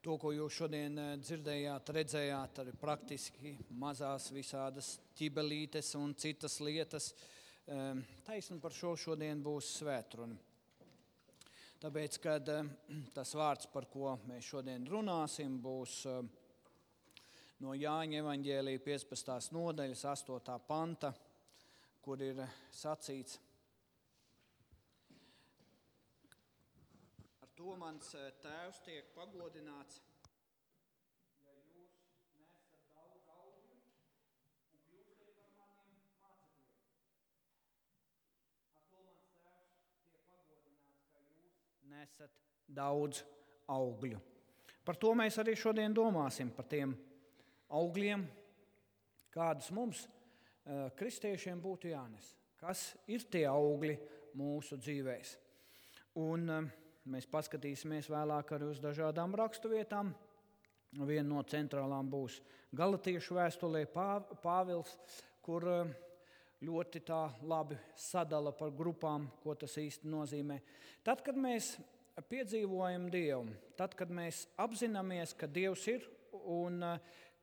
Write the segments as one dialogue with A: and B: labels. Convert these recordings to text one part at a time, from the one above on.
A: To, ko jūs šodien dzirdējāt, redzējāt, arī praktiski mazās visādas ķibelītes un citas lietas, taisni par šo šodien būs svētruna. Tāpēc, kad tas vārds, par ko mēs šodien runāsim, būs no Jāņa evaņģēlija 15. nodaļas 8. panta, kur ir sacīts: ar to mans tēvs tiek pagodināts, ja jūs nesat daudz augļu un kļūstat par maniem mācekļiem. Ar to mans tēvs tiek pagodināts, ka jūs nesat daudz augļu. Par to mēs arī šodien domāsim, par tiem augļiem, kādus mums, kristiešiem, būtu jānes. Kas ir tie augļi mūsu dzīvēs? Un mēs paskatīsimies vēlāk arī uz dažādām raksturvietām. Viena no centrālām būs Galatiešu vēstulē Pāvils, kur ļoti tā labi sadala par grupām, ko tas īsti nozīmē. Tad, kad mēs piedzīvojam Dievu, tad, kad mēs apzināmies, ka Dievs ir un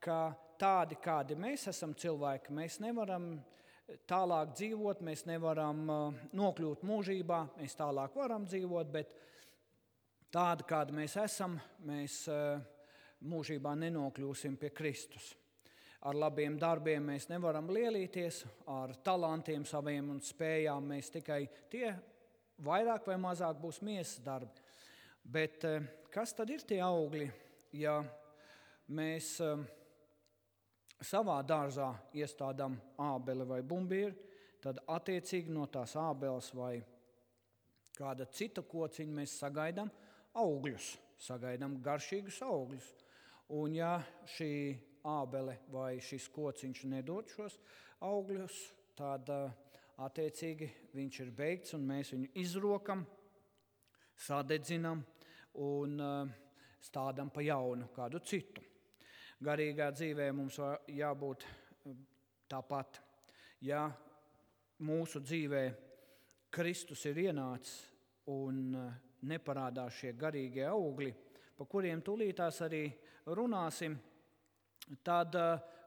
A: ka tādi, kādi mēs esam cilvēki, mēs nevaram tālāk dzīvot, mēs nevaram nokļūt mūžībā, mēs tālāk varam dzīvot, bet tādi, kādi mēs esam, mēs mūžībā nenokļūsim pie Kristus. Ar labiem darbiem mēs nevaram lielīties, ar talantiem saviem un spējām mēs tikai tie vairāk vai mazāk būs miesas darbi. Bet kas tad ir tie augļi, ja mēs savā dārzā iestādām ābeli vai bumbīri, tad attiecīgi no tās ābeles vai kāda cita kociņa mēs sagaidām augļus, sagaidām garšīgus augļus. Un ja šī ābele vai šis kociņš nedod šos augļus, tad attiecīgi viņš ir beigts un mēs viņu izrokam, sadedzinam un stādām pa jaunu kādu citu. Garīgā dzīvē mums jābūt tāpat. Ja mūsu dzīvē Kristus ir ienācis un neparādās šie garīgie augļi, pa kuriem tūlītās arī runāsim, tad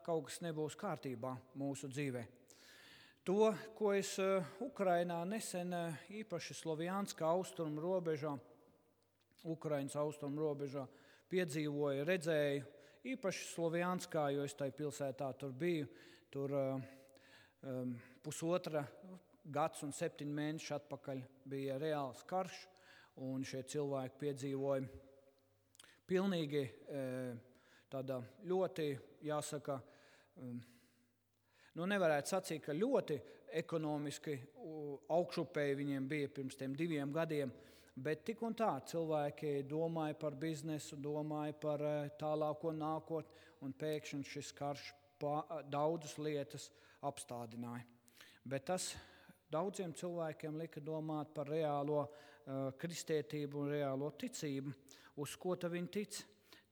A: kaut kas nebūs kārtībā mūsu dzīvē. To, ko es Ukrainā nesen īpaši Slovjanska austrumu robežā, Ukrainas austrumu robežā piedzīvoju, redzēju, īpaši Slovjanskā, jo es tajā pilsētā tur biju, tur pusotra gads un 7 mēneši atpakaļ bija reāls karš, un šie cilvēki piedzīvoja pilnīgi tāda ļoti, jāsaka, nevarētu sacīt, ka ļoti ekonomiski augšupēji viņiem bija pirms tiem 2 gadiem, bet tik un tā cilvēki domāja par biznesu, domāja par tālāko nākotni, un pēkšņi šis karš daudzas lietas apstādināja. Bet tas daudziem cilvēkiem lika domāt par reālo kristietību un reālo ticību, uz ko tad viņi tic.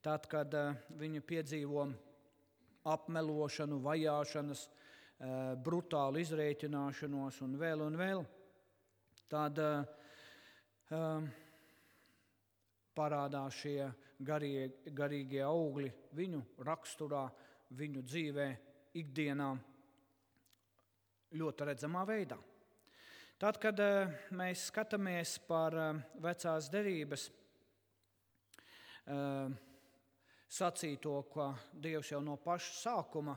A: Tad, kad viņi piedzīvo apmelošanu, vajāšanas, brutālu izrēķināšanos un vēl, tad parādās šie garīgie augļi viņu raksturā, viņu dzīvē, ikdienā ļoti redzamā veidā. Tad, kad mēs skatāmies par vecās derības sacīto, ka Dievs jau no paša sākuma,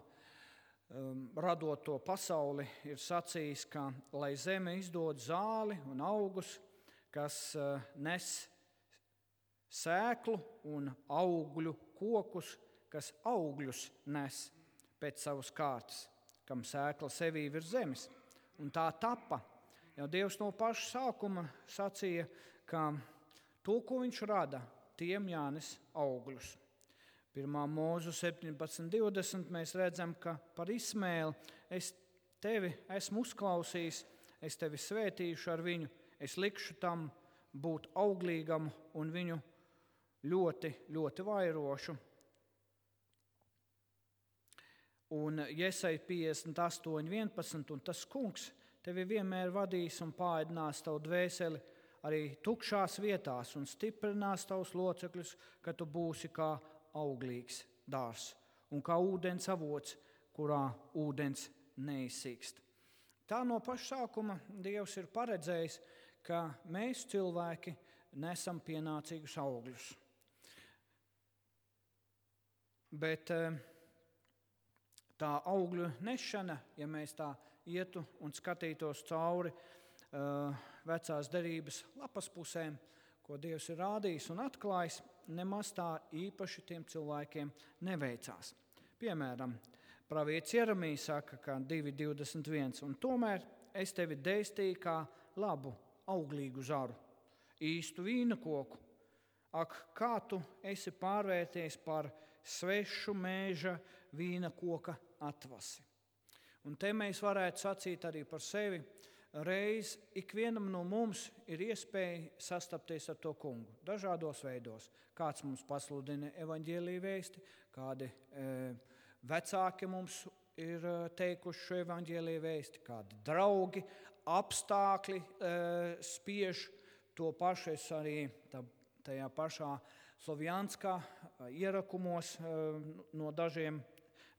A: radot to pasauli, ir sacījis, ka lai zeme izdod zāli un augus, kas nes sēklu un augļu kokus, kas augļus nes pēc savas kārtas, kam sēkla sevī virs zemes. Un tā tapa. Jau Dievs no paša sākuma sacīja, ka to, ko viņš rada, tiem jānes augļus. 1. Mūzu 17.20 mēs redzam, ka par Ismēlu es tevi esmu uzklausījis, es tevi svētīšu ar viņu, es likšu tam būt auglīgam un viņu ļoti, ļoti vairošu. Un Jesaja 58.11, un tas kungs tevi vienmēr vadīs un pāēdinās tavu dvēseli arī tukšās vietās un stiprinās tavus locekļus, ka tu būsi kā auglīgs dārs un kā ūdens avots, kurā ūdens neizsīkst. Tā no paša sākuma Dievs ir paredzējis, ka mēs cilvēki nesam pienācīgus augļus. Bet tā augļu nešana, ja mēs tā ietu un skatītos cauri vecās derības lapas pusēm, ko Dievs ir rādījis un atklājis, nemaz tā īpaši tiem cilvēkiem neveicās. Piemēram, pravietis Jeremijs saka, ka 2.21, un tomēr es tevi dēstīju kā labu, auglīgu zaru, īstu vīna koku. Ak, kā tu esi pārvērties par svešu mēža vīna koka atvasi. Un te mēs varētu sacīt arī par sevi, reiz ikvienam no mums ir iespēja sastapties ar to kungu dažādos veidos. Kāds mums pasludina evaņģēlija vēsti, kādi vecāki mums ir teikuši šo evaņģēlija vēsti, kādi draugi, apstākļi spiež to pašu. Es arī tajā pašā Slovjanskā ierakumos no dažiem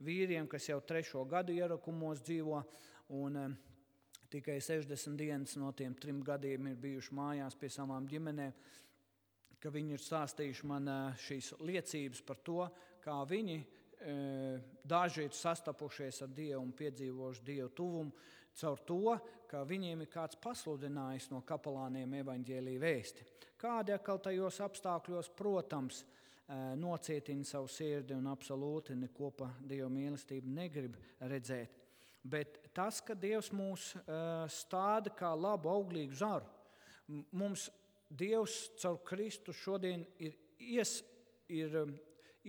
A: vīriem, kas jau 3. gadu ierakumos dzīvo, un tikai 60 dienas no tiem 3 gadiem ir bijuši mājās pie savām ģimenēm, ka viņi ir stāstījuši man šīs liecības par to, kā viņi daži ir sastapušies ar Dievu un piedzīvojuši Dievu tuvumu caur to, ka viņiem ir kāds pasludinājis no kapelāniem evaņģēlija vēsti. Kādi atkal tajos apstākļos, protams, nocietina savu sirdi un absolūti neko pa Dieva mīlestību negrib redzēt. Bet tas, ka Dievs mūs stāda kā labu, auglīgu zaru, mums Dievs caur Kristu šodien ir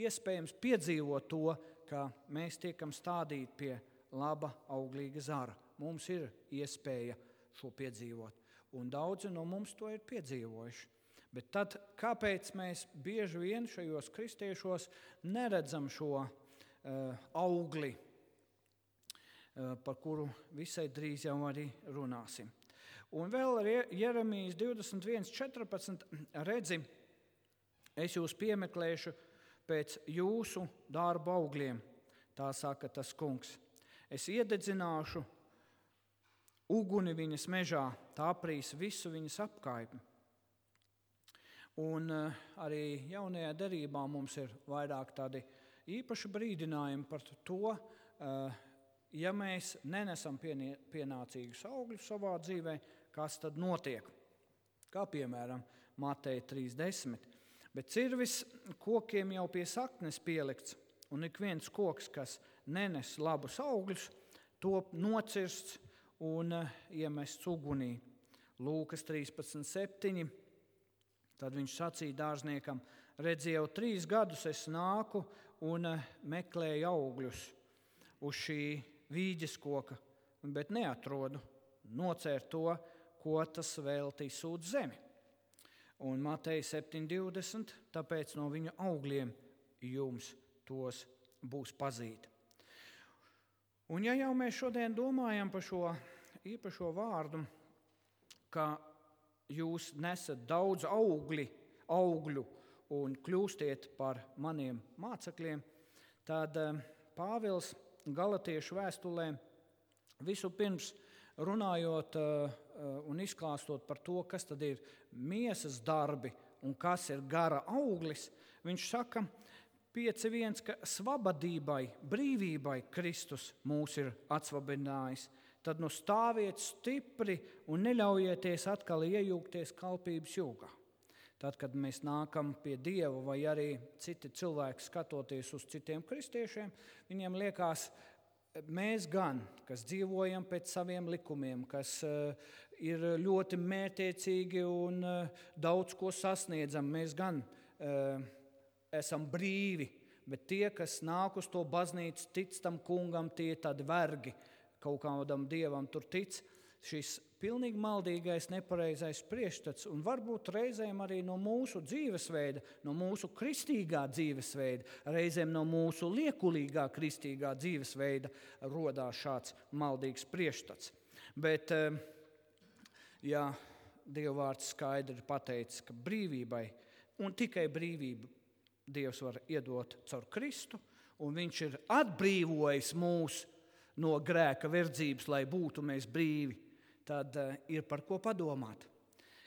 A: iespējams piedzīvot to, ka mēs tiekam stādīti pie laba, auglīga zara. Mums ir iespēja šo piedzīvot, un daudzi no mums to ir piedzīvojuši. Bet tad, kāpēc mēs bieži vien šajos kristiešos neredzam šo augli, par kuru visai drīz jau arī runāsim? Un vēl Jeremijas 21.14 redzi, es jūs piemeklēšu pēc jūsu darba augļiem, tā saka tas kungs. Es iededzināšu uguni viņas mežā, tā aprīs visu viņas apkaimi. Un arī jaunajā derībā mums ir vairāk tādi īpaši brīdinājumi par to, ja mēs nenesam pienācīgus augļus savā dzīvē, kas tad notiek. Kā piemēram Mateja 3.10. Bet cirvis kokiem jau pie saknes pielikts, un ik viens koks, kas nenes labus augļus, top nocirsts un iemests ugunī. Lūkas 13.7. Tad viņš sacīja dārzniekam, redzi, jau 3 gadus es nāku un meklēju augļus uz šī vīģes koka, bet neatrodu. Nocēr to, ko tas veltīs uz zemi. Un Mateja 7.20, tāpēc no viņa augļiem jums tos būs pazīt. Un ja jau mēs šodien domājam par šo īpašo vārdu, ka jūs nesat daudz augļu un kļūstiet par maniem mācekļiem, tad Pāvils Galatiešu vēstulē vispirms runājot un izklāstot par to, kas tad ir miesas darbi un kas ir gara auglis, viņš saka 5.1, ka svabadībai, brīvībai Kristus mūs ir atsvabinājis. Tad stāviet stipri un neļaujieties atkal iejūgties kalpības jūgā. Tad, kad mēs nākam pie Dieva vai arī citi cilvēki skatoties uz citiem kristiešiem, viņiem liekas, mēs gan, kas dzīvojam pēc saviem likumiem, kas ir ļoti mērķiecīgi un daudz ko sasniedzam, mēs gan esam brīvi, bet tie, kas nāk uz to baznīcu, tic tam kungam, tie tādi vergi, kaut kādam dievam tur tic, šis pilnīgi maldīgais, nepareizais priekšstats, un varbūt reizēm arī no mūsu dzīvesveida, no mūsu kristīgā dzīvesveida, reizēm no mūsu liekulīgā kristīgā dzīvesveida rodās šāds maldīgs priekšstats. Bet, ja Dieva vārds skaidri pateicis, ka brīvībai, un tikai brīvību Dievs var iedot caur Kristu, un viņš ir atbrīvojis mūs no grēka verdzības, lai būtu mēs brīvi, tad ir par ko padomāt.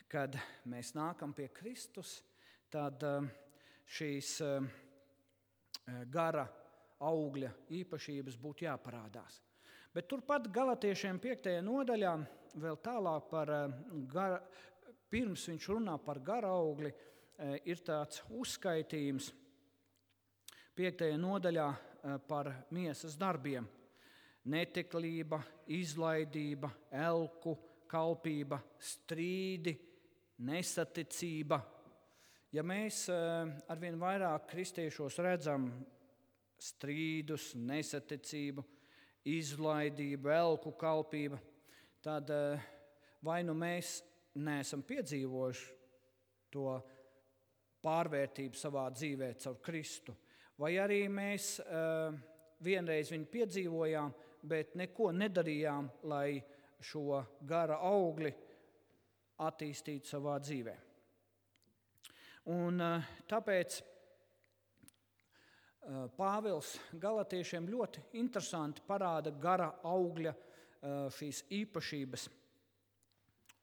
A: Kad mēs nākam pie Kristus, tad šīs gara augļa īpašības būtu jāparādās. Bet turpat Galatiešiem 5. nodaļā vēl tālāk pirms viņš runā par gara augli, ir tāds uzskaitījums 5. nodaļā par miesas darbiem. Neteklība, izlaidība, elku, kalpība, strīdi, nesaticība. Ja mēs arvien vairāk kristiešos redzam strīdus, nesaticību, izlaidību, elku kalpību, tad vai nu mēs neesam piedzīvojuši to pārvērtību savā dzīvē caur Kristu, vai arī mēs vienreiz viņu piedzīvojām, bet neko nedarījām, lai šo gara augli attīstītu savā dzīvē. Un tāpēc Pāvils Galatiešiem ļoti interesanti parāda gara augļa šīs īpašības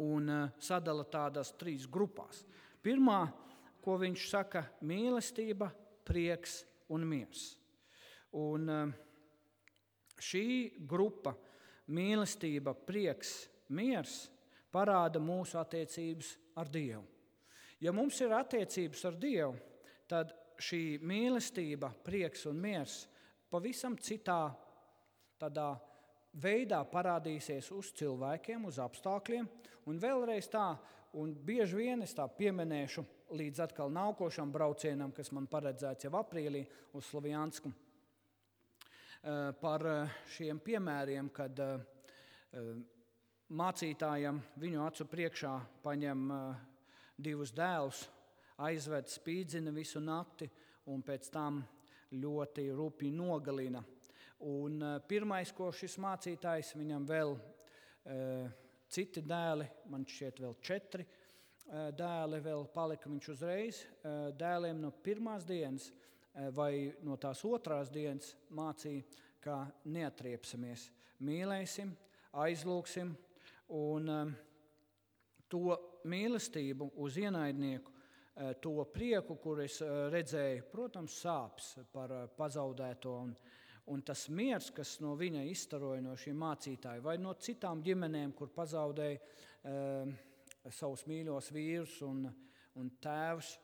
A: un sadala tādās 3 grupās. Pirmā, ko viņš saka, mīlestība, prieks un miers. Un šī grupa, mīlestība, prieks, miers, parāda mūsu attiecības ar Dievu. Ja mums ir attiecības ar Dievu, tad šī mīlestība, prieks un miers pavisam citā tādā veidā parādīsies uz cilvēkiem, uz apstākļiem. Un vēlreiz tā, un bieži vien es tā pieminēšu līdz atkal nākošam braucienam, kas man paredzēts jau aprīlī uz Slovjansku, par šiem piemēriem, kad mācītājam viņu acu priekšā paņem 2 dēlus, aizved, spīdzina visu nakti un pēc tam ļoti rupji nogalina. Un pirmais, ko šis mācītājs, viņam vēl citi dēli, man šķiet vēl 4 dēli vēl palika, viņš uzreiz dēliem no pirmās dienas vai no tās otrās dienas mācīja, ka neatriepsimies, mīlēsim, aizlūksim un to mīlestību uz ienaidnieku, to prieku, kur es redzēju, protams, sāpes par pazaudēto un tas miers, kas no viņa izstaroja no šī mācītāja vai no citām ģimenēm, kur pazaudēja savus mīļos vīrus un tēvus,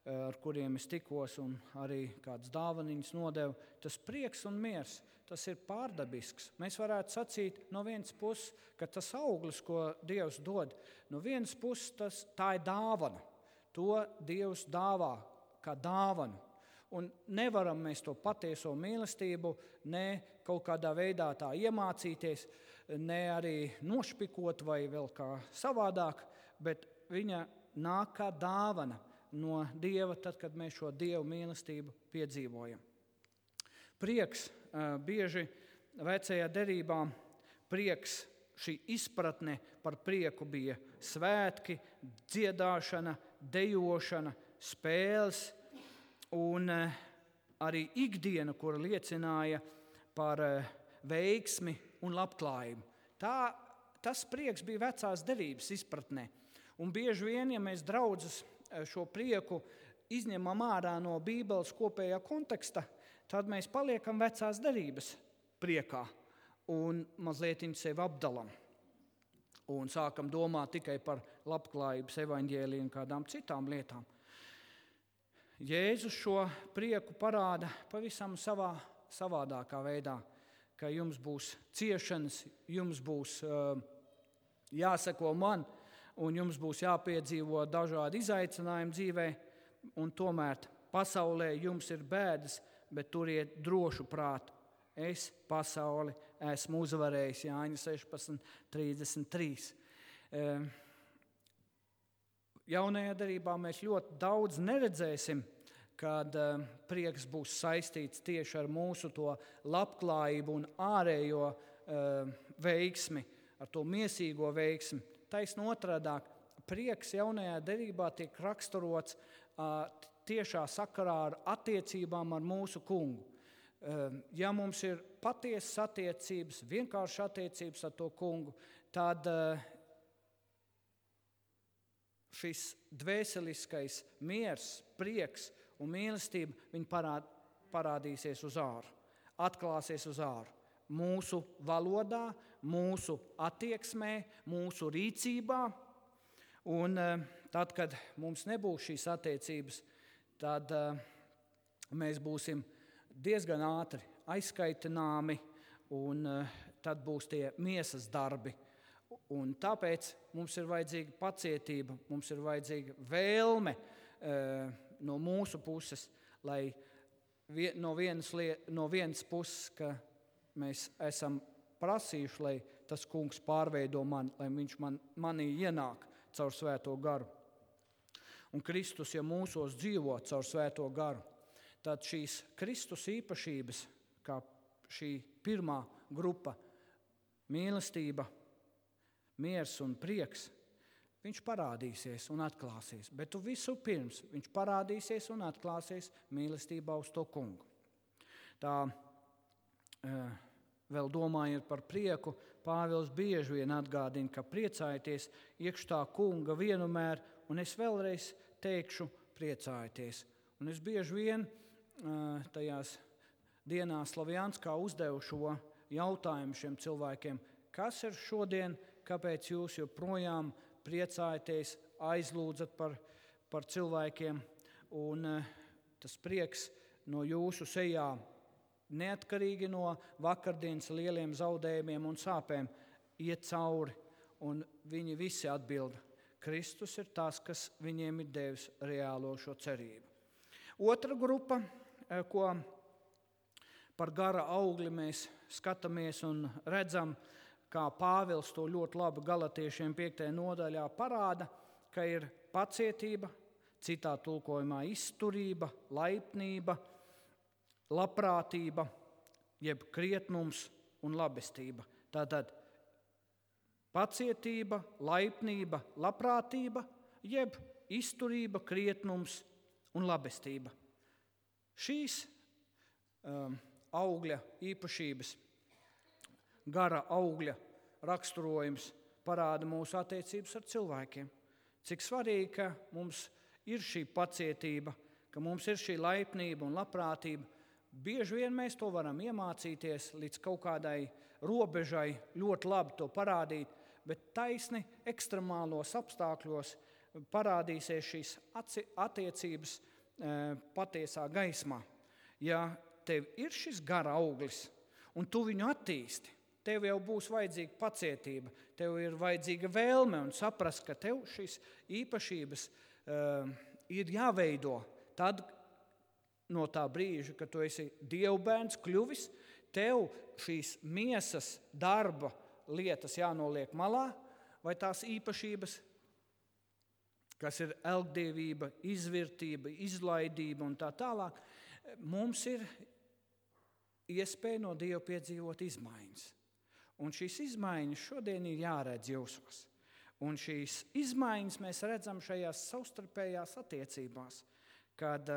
A: ar kuriem es tikos un arī kādas dāvaniņas nodevu, tas prieks un miers, tas ir pārdabisks. Mēs varētu sacīt no vienas puses, ka tas auglis, ko Dievs dod, no vienas puses tā ir dāvana. To Dievs dāvā kā dāvanu. Un nevaram mēs to patieso mīlestību ne kaut kādā veidā tā iemācīties, ne arī nošpikot vai vēl kā savādāk, bet viņa nāk kā dāvana no Dieva, tad, kad mēs šo Dievu mīlestību piedzīvojam. Prieks bieži vecajā derībā, prieks, šī izpratne par prieku bija svētki, dziedāšana, dejošana, spēles un arī ikdiena, kura liecināja par veiksmi un labklājību. Tas prieks bija vecās derības izpratnē. Un bieži vien, ja mēs draudzes šo prieku izņemam ārā no Bībeles kopējā konteksta, tad mēs paliekam vecās derības priekā un mazliet sevi apdalam. Un sākam domāt tikai par labklājības evaņģēliju un kādām citām lietām. Jēzus šo prieku parāda pavisam savādākā veidā, ka jums būs ciešanas, jums būs jāseko man, un jums būs jāpiedzīvo dažādi izaicinājumi dzīvē, un tomēr pasaulē jums ir bēdas, bet turiet drošu prātu. Es pasauli esmu uzvarējis, Jāņa 16:33. Jaunajā derībā mēs ļoti daudz neredzēsim, kad prieks būs saistīts tieši ar mūsu to labklājību un ārējo veiksmi, ar to miesīgo veiksmi. Taisn otrādāk, prieks jaunajā derībā tiek raksturots tiešā sakarā ar attiecībām ar mūsu kungu. Ja mums ir patiesas attiecības, vienkārši attiecības ar to kungu, tad šis dvēseliskais miers, prieks un mīlestība viņi parādīsies uz āru, atklāsies uz āru. Mūsu valodā, mūsu attieksmē, mūsu rīcībā. Un tad, kad mums nebūs šīs attiecības, tad mēs būsim diezgan ātri aizskaitināmi, un tad būs tie miesas darbi. Un tāpēc mums ir vajadzīga pacietība, mums ir vajadzīga vēlme no mūsu puses, lai no vienas puses, ka mēs esam prasījuši, lai tas kungs pārveido mani, lai viņš manī ienāk caur svēto garu. Un Kristus, ja mūsos dzīvo caur svēto garu, tad šīs Kristus īpašības, kā šī pirmā grupa, mīlestība, miers un prieks, viņš parādīsies un atklāsies. Bet visu pirms viņš parādīsies un atklāsies mīlestībā uz to kungu. Tā vēl domājot par prieku, Pāvils bieži vien atgādina, ka priecājieties iekš tā kunga vienmēr, un es vēlreiz teikšu priecājieties. Un es bieži vien tajās dienās Slavjanskā uzdevu šo jautājumu šiem cilvēkiem, kas ir šodien, kāpēc jūs joprojām priecājaties, aizlūdzat par cilvēkiem, un tas prieks no jūsu sejā, neatkarīgi no vakardienas lieliem zaudējumiem un sāpēm, iet cauri, un viņi visi atbild, Kristus ir tas, kas viņiem ir devis reālo šo cerību. Otra grupa, ko par gara augli mēs skatāmies un redzam, kā Pāvils to ļoti labi Galatiešiem 5. nodaļā parāda, ka ir pacietība, citā tulkojumā izturība, laipnība, labprātība, jeb krietnums un labestība. Tātad pacietība, laipnība, labprātība, jeb izturība, krietnums un labestība. Šīs augļa īpašības, gara augļa raksturojums parāda mūsu attiecības ar cilvēkiem. Cik svarīgi, ka mums ir šī pacietība, ka mums ir šī laipnība un labprātība. Bieži vien mēs to varam iemācīties līdz kaut kādai robežai, ļoti labi to parādīt, bet taisni ekstremālos apstākļos parādīsies šīs attiecības patiesā gaismā. Ja tev ir šis gara auglis un tu viņu attīsti, tev jau būs vajadzīga pacietība, tev ir vajadzīga vēlme un saprast, ka tev šīs īpašības ir jāveido tad, no tā brīža, kad tu esi dievbērns kļuvis, tev šīs miesas darba lietas jānoliek malā, vai tās īpašības, kas ir elgdievība, izvirtība, izlaidība un tā tālāk, mums ir iespēja no Dieva piedzīvot izmaiņas. Un šīs izmaiņas šodien ir jāredz jūsos. Un šīs izmaiņas mēs redzam šajās savstarpējās attiecībās, kad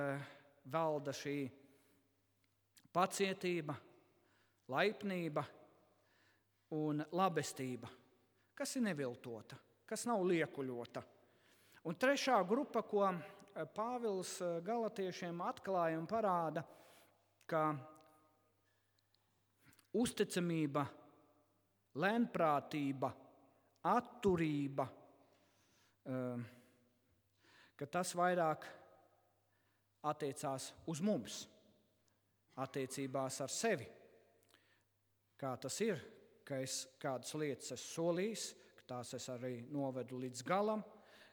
A: valda šī pacietība, laipnība un labestība, kas ir neviltota, kas nav liekuļota. Un trešā grupa, ko Pāvils Galatiešiem atklāja un parāda, ka uzticamība, lēnprātība, atturība, ka tas vairāk attiecās uz mums, attiecībās ar sevi. Kā tas ir, ka es kādas lietas esmu solījis, ka tās es arī novedu līdz galam,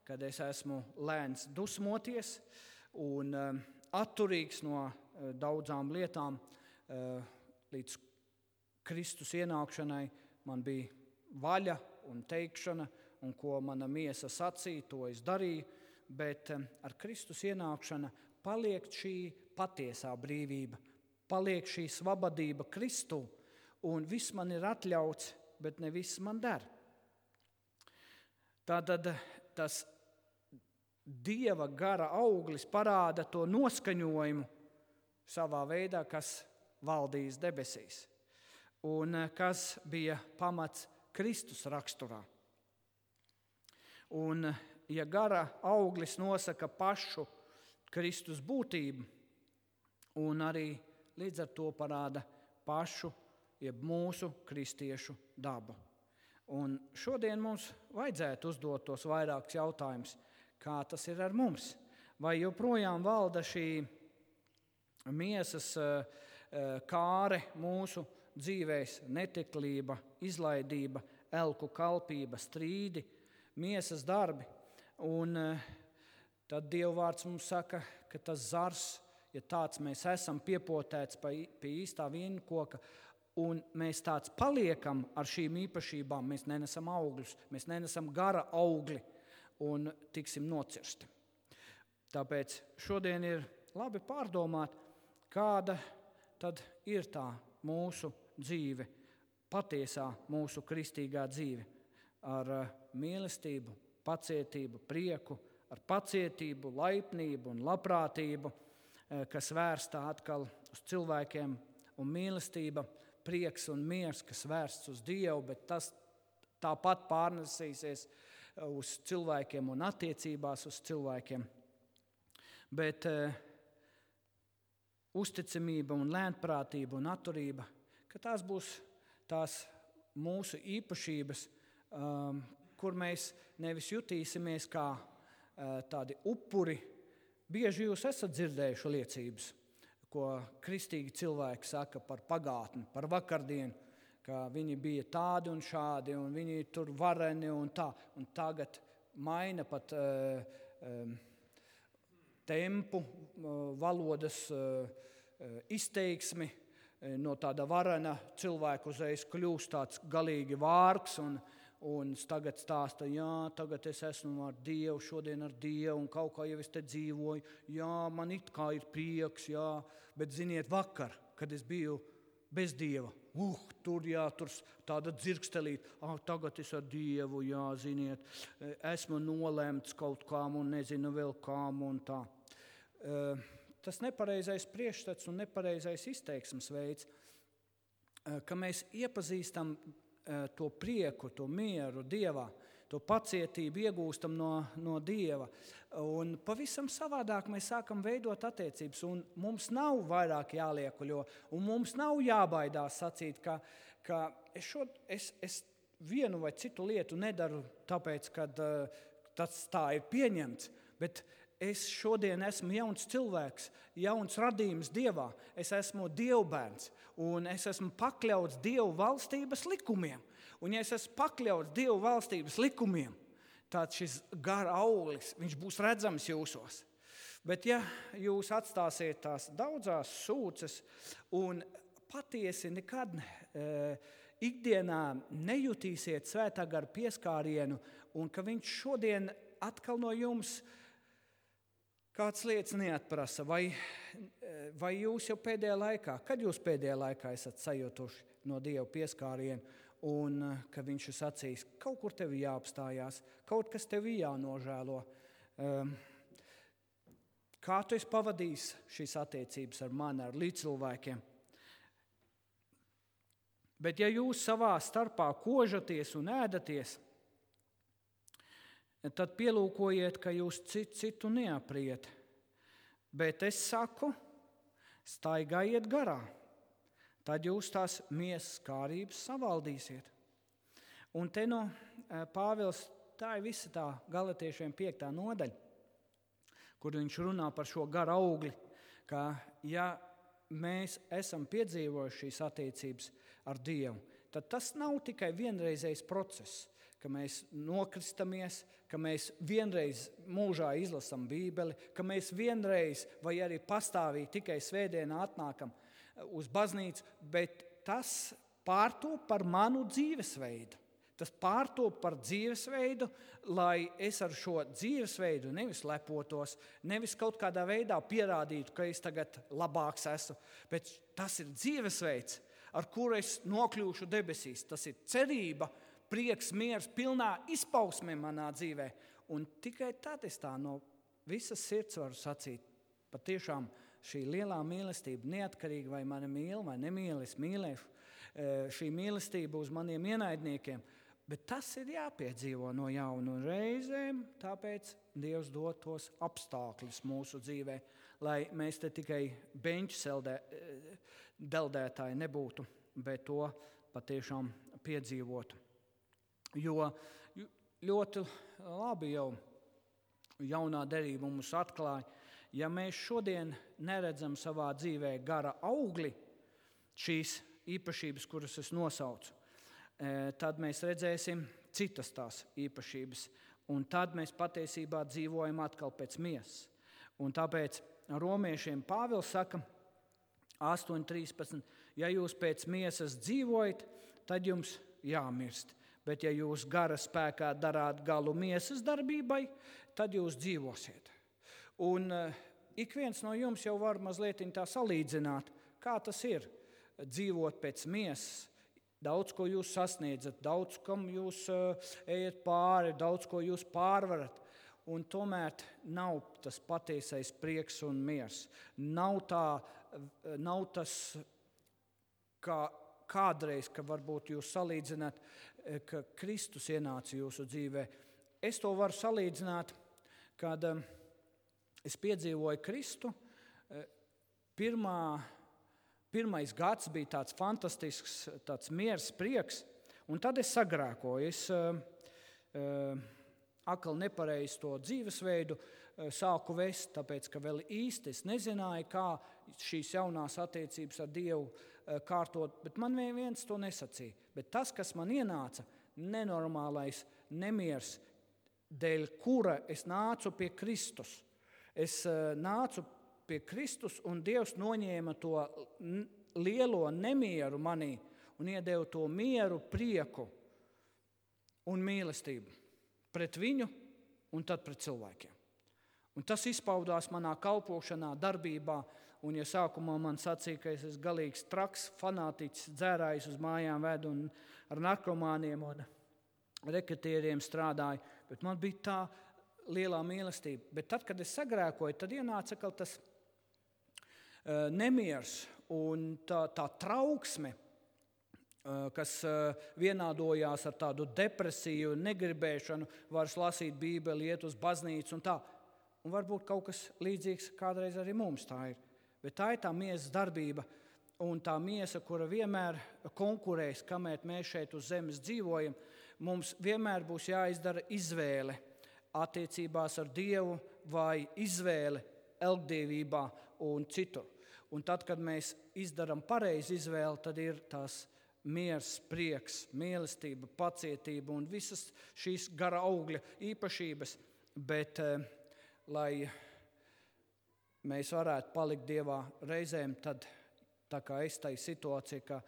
A: kad es esmu lēns dusmoties un atturīgs no daudzām lietām līdz Kristus ienākšanai. Man bija vaļa un teikšana, un ko mana miesa sacīja, to es darīju, bet ar Kristus ienākšana paliek šī patiesā brīvība, paliek šī svabadība Kristū, un viss man ir atļauts, bet ne viss man der. Tātad tas Dieva gara auglis parāda to noskaņojumu savā veidā, kas valdīs debesīs un kas bija pamats Kristus raksturā. Un, ja gara auglis nosaka pašu Kristus būtību un arī līdz ar to parāda pašu, jeb mūsu kristiešu dabu. Un šodien mums vajadzētu uzdot tos vairākus jautājumus, kā tas ir ar mums. Vai joprojām valda šī miesas kāre mūsu dzīvēs, neteklība, izlaidība, elku kalpība, strīdi, miesas darbi. Un tad Dieva vārds mums saka, ka tas zars, ja tāds mēs esam piepotēts pie īstā vīnkoka, un mēs tāds paliekam ar šīm īpašībām, mēs nenesam augļus, mēs nenesam gara augli un tiksim nocirsti. Tāpēc šodien ir labi pārdomāt, kāda tad ir tā mūsu dzīve, patiesā mūsu kristīgā dzīve, ar mīlestību, pacietību, prieku, ar pacietību, laipnību un labprātību, kas vērsta atkal uz cilvēkiem, un mīlestība, prieks un miers, kas vērsts uz Dievu, bet tas tāpat pārnesīsies uz cilvēkiem un attiecībās uz cilvēkiem. Bet uzticamība un lēnprātība un atturība, ka tās būs tās mūsu īpašības, kur mēs nevis jutīsimies kā tādi upuri. Bieži jūs esat dzirdējuši liecības, ko kristīgi cilvēki saka par pagātni, par vakardienu, ka viņi bija tādi un šādi, un viņi tur vareni un tā. Un tagad maina pat tempu, valodas izteiksmi, no tāda varena cilvēka uzreiz kļūst tāds galīgi vārgs un tagad stāsta, jā, tagad es esmu ar Dievu, šodien ar Dievu, un kaut kā jau es te dzīvoju, jā, man it kā ir prieks, jā, bet ziniet, vakar, kad es biju bez Dieva, tur tāda dzirkstelīt, tagad es ar Dievu, jā, ziniet, esmu nolemts kaut kām un nezinu vēl kām un tā. Tas nepareizais priekšstats un nepareizais izteiksmes veids, ka mēs iepazīstam to prieku, to mieru Dievā, to pacietību iegūstam no Dieva. Un pavisam savādāk mēs sākam veidot attiecības, un mums nav vairāk jāliekuļo, un mums nav jābaidās sacīt, ka es vienu vai citu lietu nedaru tāpēc, ka tas tā ir pieņemts, bet es šodien esmu jauns cilvēks, jauns radījums Dievā. Es esmu Dievbērns, un es esmu pakļauts Dievu valstības likumiem. Un ja es esmu pakļauts Dievu valstības likumiem, tad šis gara auglis, viņš būs redzams jūsos. Bet ja jūs atstāsiet tās daudzās sūces un patiesi nekad ikdienā nejutīsiet svētā gara pieskārienu, un ka viņš šodien atkal no jums kāds lietas neatprasa, vai jūs jau pēdējā laikā, kad jūs pēdējā laikā esat sajutuši no Dieva pieskārienu, un ka viņš ir sacījis, kaut kur tevi jāapstājās, kaut kas tevi jānožēlo. Kā tu esi pavadījis šīs attiecības ar mani, ar līdzcilvēkiem? Bet ja jūs savā starpā kožaties un ēdaties, tad pielūkojiet, ka jūs citu neapriet. Bet es saku, staigājiet garā, tad jūs tās miesas kārības savaldīsiet. Un te no Pāvils, tā ir visa tā Galatiešiem 5. nodaļa, kur viņš runā par šo gara augli, ka ja mēs esam piedzīvojuši šīs attiecības ar Dievu, tad tas nav tikai vienreizējs process, ka mēs nokristamies, ka mēs vienreiz mūžā izlasam Bībeli, ka mēs vienreiz vai arī pastāvīgi tikai svētdienā atnākam uz baznīcu, bet tas pārtop par manu dzīvesveidu. Tas pārtop par dzīvesveidu, lai es ar šo dzīvesveidu nevis lepotos, nevis kaut kādā veidā pierādītu, ka es tagad labāks esmu, bet tas ir dzīvesveids, ar kuru es nokļūšu debesīs. Tas ir cerība, prieks, miers, pilnā izpausme manā dzīvē. Un tikai tad es tā no visas sirds varu sacīt, patiešām šī lielā mīlestība, neatkarīgi vai mani mīl vai nemīl, es mīlēšu, šī mīlestība uz maniem ienaidniekiem, bet tas ir jāpiedzīvo no jauna un reizēm, tāpēc Dievs dod tos apstākļus mūsu dzīvē, lai mēs te tikai beņķu deldētāji nebūtu, bet to patiešām piedzīvotu. Jo ļoti labi jau jaunā derība mums atklāja, ja mēs šodien neredzam savā dzīvē gara augli, šīs īpašības, kuras es nosaucu, tad mēs redzēsim citas tās īpašības, un tad mēs patiesībā dzīvojam atkal pēc miesas. Un tāpēc romiešiem Pāvils saka 8.13, ja jūs pēc miesas dzīvojat, tad jums jāmirst. Bet ja jūs gara spēkā darāt galu miesas darbībai, tad jūs dzīvosiet. Un ik viens no jums jau var mazliet tā salīdzināt, kā tas ir dzīvot pēc miesas. Daudz, ko jūs sasniedzat, daudz, kam jūs ejat pāri, daudz, ko jūs pārvarat. Un tomēr nav tas patiesais prieks un miers. Nav tas, kā kādreiz, ka varbūt jūs salīdzināt, ka Kristus ienāca jūsu dzīvē. Es to varu salīdzināt, kad es piedzīvoju Kristu. Pirmais gads bija tāds fantastisks, tāds miers, prieks, un tad es sagrēkoju. Es atkal nepareizi to dzīvesveidu sāku vest, tāpēc, ka vēl īsti es nezināju, kā šīs jaunās attiecības ar Dievu kārtot, bet man viens to nesacīja. Bet tas, kas man ienāca, nenormālais nemiers, dēļ kura es nācu pie Kristus. Es nācu pie Kristus, un Dievs noņēma to lielo nemieru manī un iedeva to mieru, prieku un mīlestību pret viņu un tad pret cilvēkiem. Un tas izpaudās manā kalpošanā, darbībā, un ja sākumā man sacīja, ka es esmu galīgs traks, fanātiķis, dzērājs uz mājām vedu un ar narkomāniem un reketieriem strādāju, bet man bija tā lielā mīlestība. Bet tad, kad es sagrēkoju, tad ienāca atkal tas nemiers un tā trauksme, kas vienādojās ar tādu depresiju, negribēšanu, vairs lasīt Bībeli, iet uz baznīcu un tā. Un varbūt kaut kas līdzīgs kādreiz arī mums tā ir. Bet tā ir tā miesas darbība un tā miesa, kura vienmēr konkurēs, kamēr mēs šeit uz zemes dzīvojam. Mums vienmēr būs jāizdara izvēle attiecībās ar Dievu vai izvēle elgdevībā un citur. Un tad, kad mēs izdaram pareizi izvēli, tad ir tās miers, prieks, mīlestība, pacietība un visas šīs gara augļa īpašības. Bet, lai mēs varētu palikt Dievā reizēm, tad tā kā es tai situācija, ka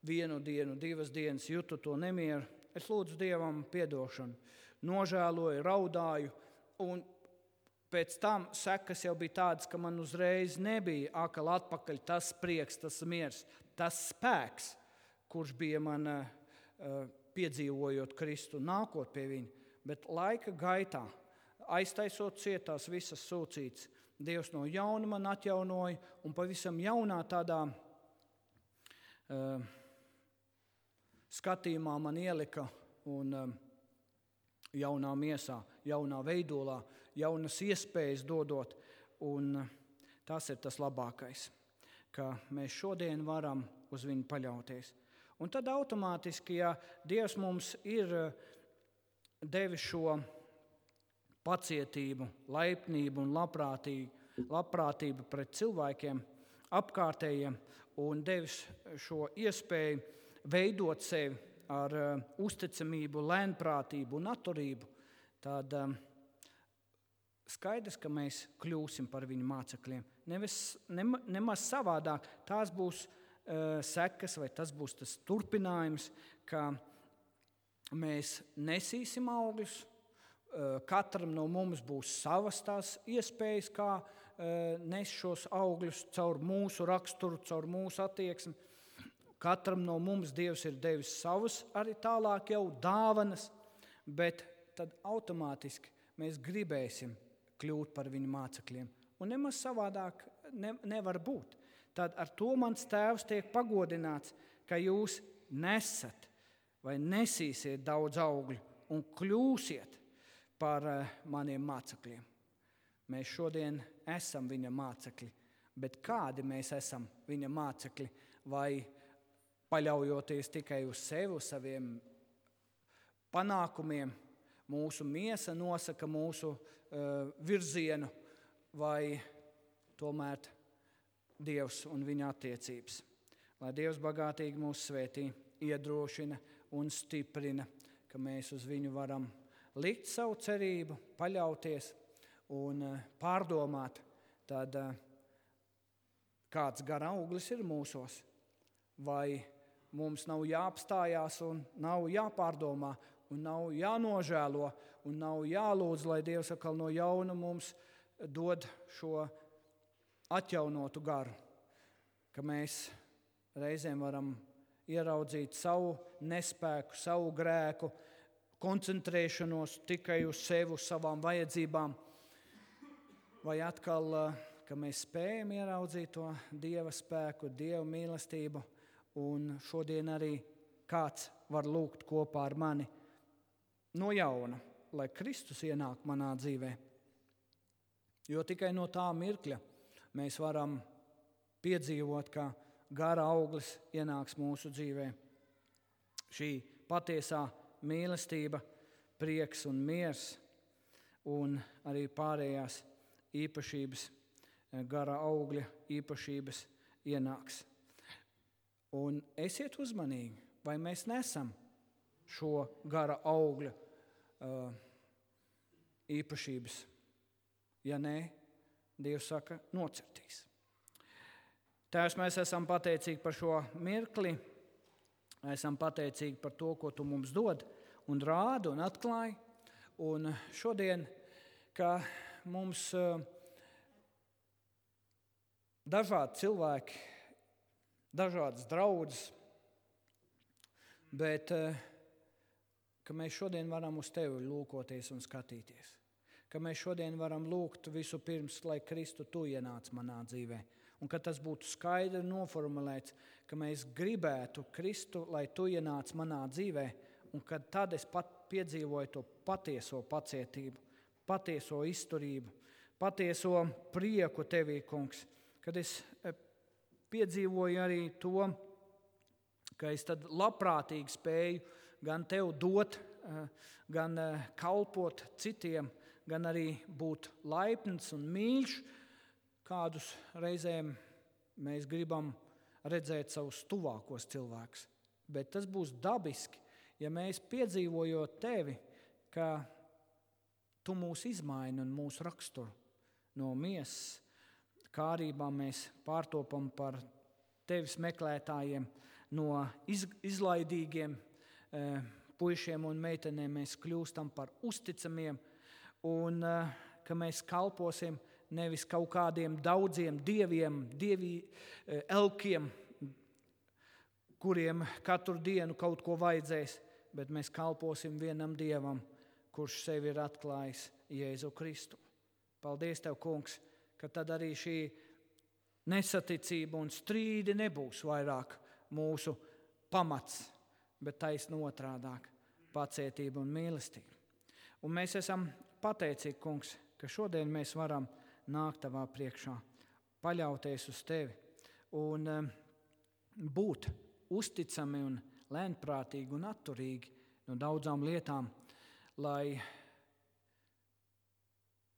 A: vienu dienu, 2 dienas jūtu to nemieru, es lūdzu Dievam piedošanu, nožēloju, raudāju, un pēc tam sekas jau bija tādas, ka man uzreiz nebija atkal atpakaļ tas prieks, tas miers, tas spēks, kurš bija man piedzīvojot Kristu, nākot pie viņa. Bet laika gaitā, aiztaisot cietās visas sūcītes, Dievs no jauna man atjaunoja un pavisam jaunā tādā skatījumā man ielika un jaunā miesā, jaunā veidolā, jaunas iespējas dodot. Un tas ir tas labākais, ka mēs šodien varam uz viņu paļauties. Un tad automātiski, ja Dievs mums ir devis šo pacietību, laipnību un labprātību pret cilvēkiem, apkārtējiem un devis šo iespēju veidot sevi ar uzticamību, lēnprātību un atturību, tad skaidrs, ka mēs kļūsim par viņu mācekļiem. Nemaz savādāk. Tās būs sekas vai tas būs tas turpinājums, ka mēs nesīsim augļus. Katram no mums būs savas tās iespējas, kā nes šos augļus caur mūsu raksturu, caur mūsu attieksmi. Katram no mums Dievs ir devis savus arī tālāk jau dāvanas, bet tad automātiski mēs gribēsim, kļūt par viņa mācekļiem. Un nemaz savādāk nevar būt. Tad ar to mans tēvs tiek pagodināts, ka jūs nesat vai nesīsiet daudz augļu un kļūsiet par maniem mācekļiem. Mēs šodien esam viņa mācekļi, bet kādi mēs esam viņa mācekļi? Vai paļaujoties tikai uz sevi, uz saviem panākumiem, mūsu miesa nosaka mūsu virzienu, vai tomēr Dievs un viņa attiecības. Lai Dievs bagātīgi mūs svētī, iedrošina un stiprina, ka mēs uz viņu varam likt savu cerību, paļauties un pārdomāt, tad kāds gara auglis ir mūsos, vai mums nav jāapstājās un nav jāpārdomā un nav jānožēlo un nav jālūdz, lai Dievs atkal no jauna mums dod šo atjaunotu garu, ka mēs reizēm varam ieraudzīt savu nespēku, savu grēku, koncentrēšanos tikai uz sevi, uz savām vajadzībām, vai atkal, ka mēs spējam ieraudzīt to Dieva spēku, Dieva mīlestību, un šodien arī kāds var lūgt kopā ar mani no jauna, lai Kristus ienāk manā dzīvē. Jo tikai no tā mirkļa mēs varam piedzīvot, ka gara auglis ienāks mūsu dzīvē. Šī patiesā mīlestība, prieks un miers un arī pārējās īpašības, gara augļa īpašības ienāks. Un esiet uzmanīgi, vai mēs nesam šo gara augļa īpašības. Ja nē, Dievs saka, nocirtīs. Tēvs, mēs esam pateicīgi par šo mirkli, esam pateicīgi par to, ko Tu mums dod un rādi un atklāji. Un šodien, ka mums dažādi cilvēki, dažādas draudzes, bet ka mēs šodien varam uz Tevi lūkoties un skatīties. Ka mēs šodien varam lūgt visu pirms, lai Kristu Tu ienāc manā dzīvē. Un ka tas būtu skaidri noformulēts, ka mēs gribētu Kristu, lai Tu ienāc manā dzīvē, un kad tad es pat piedzīvoju to patieso pacietību, patieso izturību, patieso prieku Tevī, Kungs, kad es piedzīvoju arī to, ka es tad labprātīgi spēju gan Tev dot, gan kalpot citiem, gan arī būt laipns un mīļš, kādus reizēm mēs gribam redzēt savus tuvākos cilvēkus. Bet tas būs dabiski, ja mēs piedzīvojot Tevi, ka Tu mūs izmaini un mūsu raksturu. No miesas kārībām mēs pārtopam par Tevis meklētājiem, no izlaidīgiem puišiem un meitenēm mēs kļūstam par uzticamiem, un ka mēs kalposim nevis kaut kādiem daudziem dieviem, elkiem, kuriem katru dienu kaut ko vajadzēs, bet mēs kalposim vienam Dievam, kurš sevi ir atklājis Jēzu Kristu. Paldies Tev, Kungs, ka tad arī šī nesaticība un strīdi nebūs vairāk mūsu pamats, bet taisni otrādāk – pacietība un mīlestība. Un mēs esam pateicīgi, Kungs, ka šodien mēs varam nākt Tavā priekšā, paļauties uz Tevi un būt uzticami un lēnprātīgi un atturīgi no daudzām lietām, lai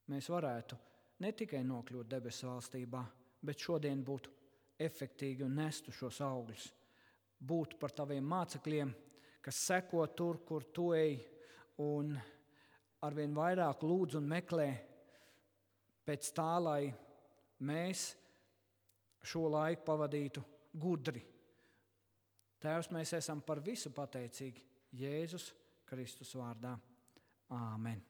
A: mēs varētu ne tikai nokļūt debesu valstībā, bet šodien būtu efektīgi un nestu šos augļus. Būt par Taviem mācekļiem, kas seko tur, kur Tu ej, un arvien vairāk lūdz un meklē pēc tā, lai mēs šo laiku pavadītu gudri. Tēvs, mēs esam par visu pateicīgi Jēzus Kristus vārdā. Āmen.